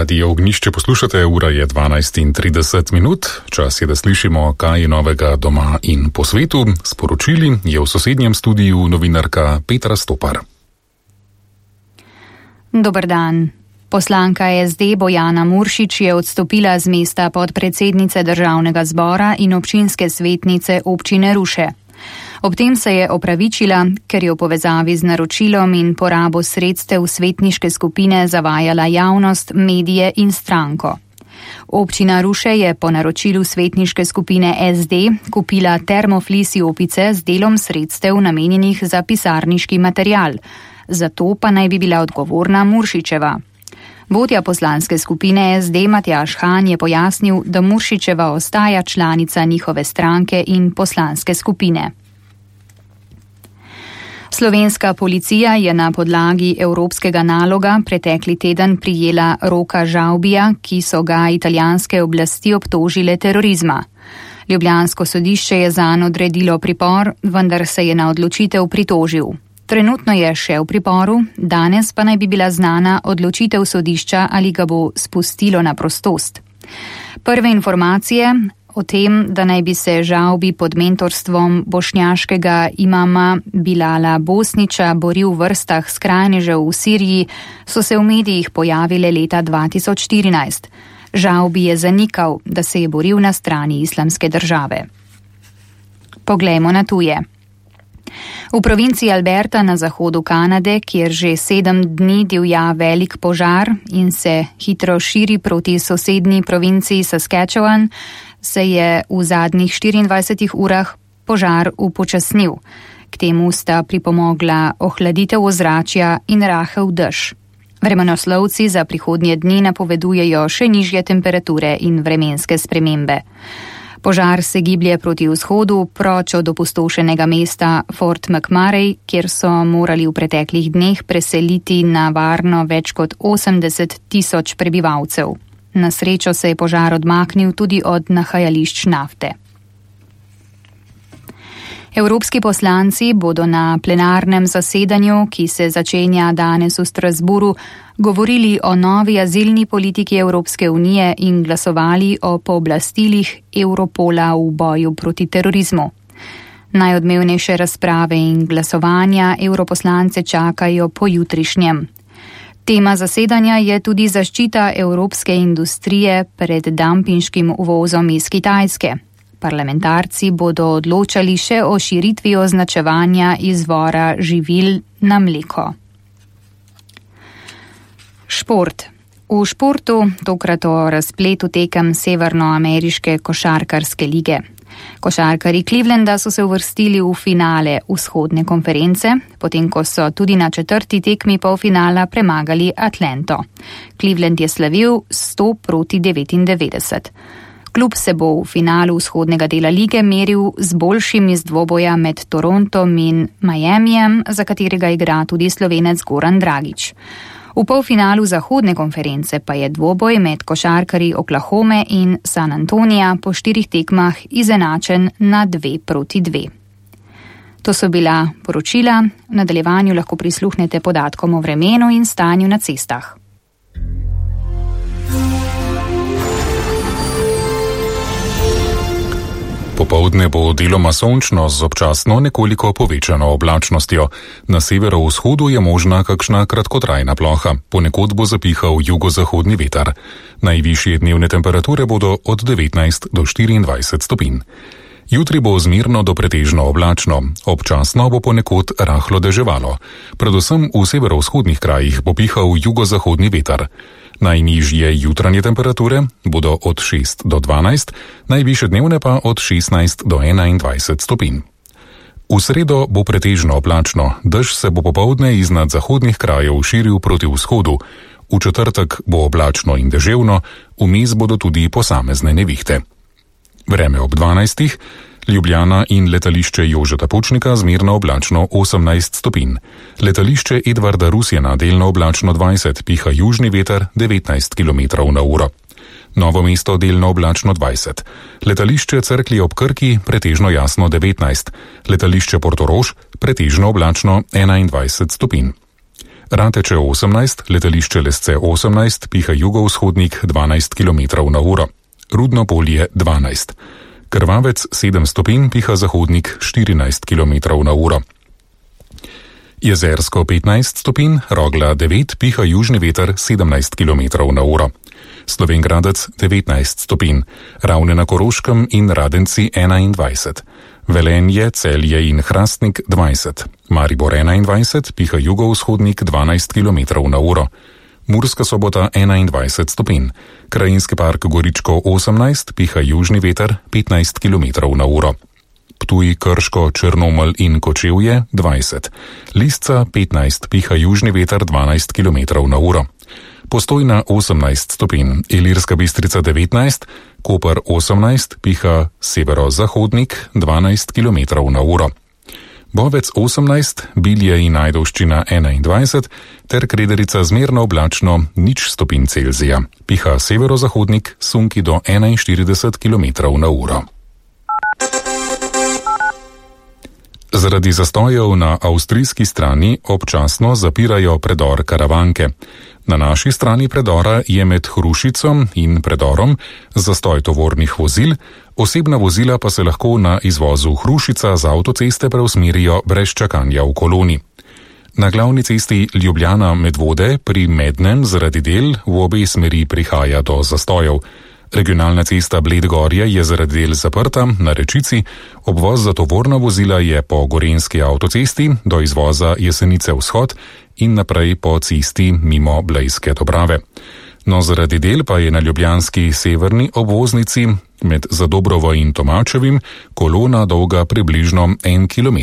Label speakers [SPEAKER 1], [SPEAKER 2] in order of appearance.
[SPEAKER 1] Radio Ognjišče poslušate, ura je 12:30. Čas je, da slišimo, kaj je novega doma in po svetu. Sporočili je v sosednjem studiu novinarka Petra Stopar.
[SPEAKER 2] Dober dan. Poslanka SD Bojana Muršič je odstopila z mesta podpredsednice Državnega zbora in občinske svetnice občine Ruše. Ob tem se je opravičila, ker je v povezavi z naročilom in porabo sredstev svetniške skupine zavajala javnost, medije in stranko. Občina Ruše je po naročilu svetniške skupine SD kupila termoflis jopice z delom sredstev namenjenih za pisarniški material. Zato pa naj bi bila odgovorna Muršičeva. Vodja poslanske skupine SD Matjaž Han je pojasnil, da Muršičeva ostaja članica njihove stranke in poslanske skupine. Slovenska policija je na podlagi evropskega naloga pretekli teden prijela Roka Žavbija, ki so ga italijanske oblasti obtožile terorizma. Ljubljansko sodišče je zanj odredilo pripor, vendar se je na odločitev pritožil. Trenutno je še v priporu, danes pa naj bi bila znana odločitev sodišča, ali ga bo spustilo na prostost. Prve informacije o tem, da naj bi se Žavbi pod mentorstvom bošnjaškega imama Bilala Bosniča boril v vrstah skrajnežev v Siriji, so se v medijih pojavile leta 2014. Žavbi je zanikal, da se je boril na strani Islamske države. Poglejmo na tuje. V provinciji Alberta na zahodu Kanade, kjer že 7 dni divja velik požar in se hitro širi proti sosednji provinciji Saskatchewan, se je v zadnjih 24 urah požar upočasnil. K temu sta pripomogla ohladitev ozračja in rahel dež. Vremenoslovci za prihodnje dni napovedujejo še nižje temperature in vremenske spremembe. Požar se giblje proti vzhodu, proč od opustošenega mesta Fort McMurray, kjer so morali v preteklih dneh preseliti na varno več kot 80,000 prebivalcev. Na srečo se je požar odmaknil tudi od nahajališč nafte. Evropski poslanci bodo na plenarnem zasedanju, ki se začenja danes v Strasburu, govorili o novi azilni politiki Evropske unije in glasovali o pooblastilih Europola v boju proti terorizmu. Najodmevnejše razprave in glasovanja evroposlance čakajo pojutrišnjem. Tema zasedanja je tudi zaščita evropske industrije pred dampinškim uvozom iz Kitajske. Parlamentarci bodo odločali še o širitvi označevanja izvora živil na mleko. Šport. V športu tokrat o razpletu tekem severnoameriške košarkarske lige. Košarkarji Clevelanda so se uvrstili v finale vzhodne konference, potem ko so tudi na 4. tekmi polfinala premagali Atlanto. Cleveland je slavil 100-99. Klub se bo v finalu vzhodnega dela lige meril z boljšim iz dvoboja med Torontom in Miamijem, za katerega igra tudi Slovenec Goran Dragić. V polfinalu zahodne konference pa je dvoboj med košarkarji Oklahome in San Antonija po 4 tekmah izenačen na 2-2. To so bila poročila, v nadaljevanju lahko prisluhnete podatkom o vremenu in stanju na cestah.
[SPEAKER 1] Popoldne bo deloma sončno z občasno nekoliko povečano oblačnostjo. Na severovzhodu je možna kakšna kratkotrajna ploha, ponekod bo zapihal jugozahodni veter. Najvišje dnevne temperature bodo od 19 do 24 stopinj. Jutri bo zmerno do pretežno oblačno, občasno bo ponekod rahlo deževalo. Predvsem v severovzhodnih krajih bo pihal jugozahodni veter. Najnižje jutranje temperature bodo od 6 do 12, najvišje dnevne pa od 16 do 21 stopinj. V sredo bo pretežno oblačno, dež se bo popoldne iznad zahodnih krajev širil proti vzhodu. V četrtek bo oblačno in deževno, vmes bodo tudi posamezne nevihte. Vreme ob 12. Ljubljana in letališče Jožeta Pučnika zmerno oblačno 18 stopinj. Letališče Edvarda Rusjana delno oblačno 20, piha južni veter 19 km/h. Novo mesto delno oblačno 20. Letališče Cerklje ob Krki pretežno jasno 19. Letališče Portorož pretežno oblačno 21 stopinj. Rateče 18, letališče Lesce 18, piha jugovzhodnik 12 km/h. Rudno Polje 12. Krvavec 7 stopinj, piha zahodnik 14 km/h. Jezersko 15 stopinj, Rogla 9, piha južni veter 17 km/h. Slovenj Gradec 19 stopinj, Ravne na Koroškem in Radenci 21. Velenje, Celje in Hrastnik 20. Maribor 21, piha jugovzhodnik 12 km/h. Murska Sobota 21 stopinj, Krajinski park Goričko 18, piha južni veter 15 km/h. Ptuj, Krško, Črnomelj in Kočevje 20. Lisca 15, piha južni veter 12 km/h. Postojna 18 stopinj, Ilirska Bistrica 19, Koper 18, piha severozahodnik 12 km/h. Bovec 18, Bilje in Ajdovščina 21 ter Krederica zmerno oblačno 0 stopinj Celzija. Piha severozahodnik, sunki do 41 km/h. Zaradi zastojev na avstrijski strani občasno zapirajo predor Karavanke. Na naši strani predora je med Hrušico in predorom zastoj tovornih vozil, osebna vozila pa se lahko na izvozu Hrušica z avtoceste preusmerijo brez čakanja v koloni. Na glavni cesti Ljubljana-Medvode pri Mednem zaradi del v obe smeri prihaja do zastojev. Regionalna cesta Bled-Gorje je zaradi del zaprta na Rečici, obvoz za tovorna vozila je po Gorenjski avtocesti do izvoza Jesenice vzhod in naprej po cesti mimo Blejske Dobrave. No, zaradi del pa je na ljubljanski severni obvoznici med Zadobrovo in Tomačevim kolona dolga približno 1 km.